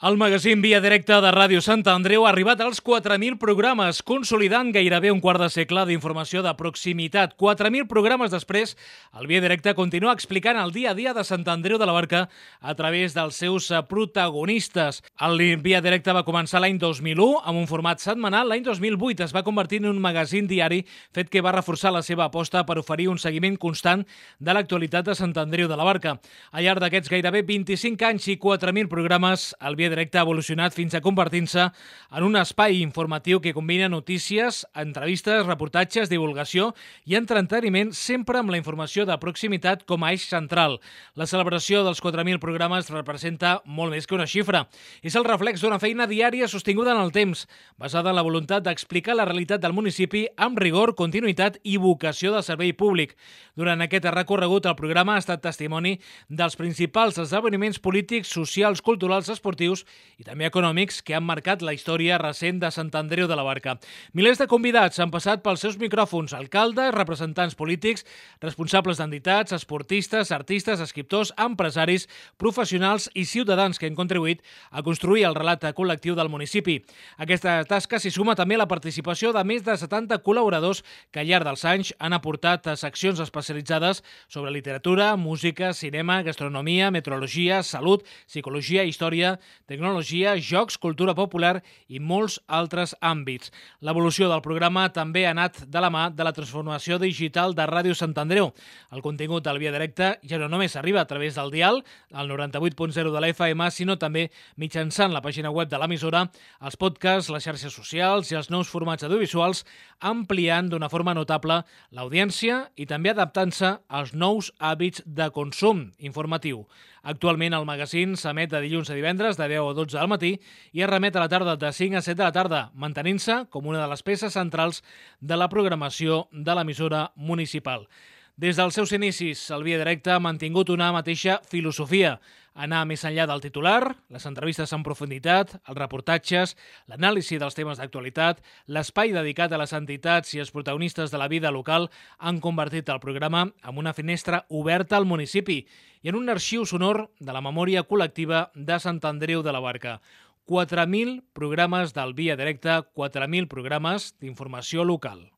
El magazín Via Directa de Ràdio Sant Andreu ha arribat als 4.000 programes, consolidant gairebé un quart de segle d'informació de proximitat. 4.000 programes després, el Via Directa continua explicant el dia a dia de Sant Andreu de la Barca a través dels seus protagonistes. El Via Directa va començar l'any 2001 amb un format setmanal. L'any 2008 es va convertir en un magazín diari, fet que va reforçar la seva aposta per oferir un seguiment constant de l'actualitat de Sant Andreu de la Barca. Al llarg d'aquests gairebé 25 anys i 4.000 programes, el Via Directa ha evolucionat fins a convertir-se en un espai informatiu que combina notícies, entrevistes, reportatges, divulgació i entreteniment, sempre amb la informació de proximitat com a eix central. La celebració dels 4.000 programes representa molt més que una xifra. És el reflex d'una feina diària sostinguda en el temps, basada en la voluntat d'explicar la realitat del municipi amb rigor, continuïtat i vocació de servei públic. Durant aquest recorregut, el programa ha estat testimoni dels principals esdeveniments polítics, socials, culturals, esportius i també econòmics que han marcat la història recent de Sant Andreu de la Barca. Milers de convidats han passat pels seus micròfons, alcaldes, representants polítics, responsables d'entitats, esportistes, artistes, escriptors, empresaris, professionals i ciutadans que han contribuït a construir el relat col·lectiu del municipi. Aquesta tasca s'hi suma també la participació de més de 70 col·laboradors que al llarg dels anys han aportat a seccions especialitzades sobre literatura, música, cinema, gastronomia, meteorologia, salut, psicologia, història, tecnologia, jocs, cultura popular i molts altres àmbits. L'evolució del programa també ha anat de la mà de la transformació digital de Ràdio Sant Andreu. El contingut del Via Directa ja no només arriba a través del dial, el 98.0 de la FM, sinó també mitjançant la pàgina web de l'emissora, els podcasts, les xarxes socials i els nous formats audiovisuals, ampliant d'una forma notable l'audiència i també adaptant-se als nous hàbits de consum informatiu. Actualment el magazín s'emet de dilluns a divendres de 10 a 12 del matí i es remet a la tarda de 5 a 7 de la tarda, mantenint-se com una de les peces centrals de la programació de l'emissora municipal. Des dels seus inicis, el Via Directa ha mantingut una mateixa filosofia, anar més enllà del titular, les entrevistes en profunditat, els reportatges, l'anàlisi dels temes d'actualitat, l'espai dedicat a les entitats i els protagonistes de la vida local han convertit el programa en una finestra oberta al municipi i en un arxiu sonor de la memòria col·lectiva de Sant Andreu de la Barca. 4.000 programes del Via Directa, 4.000 programes d'informació local.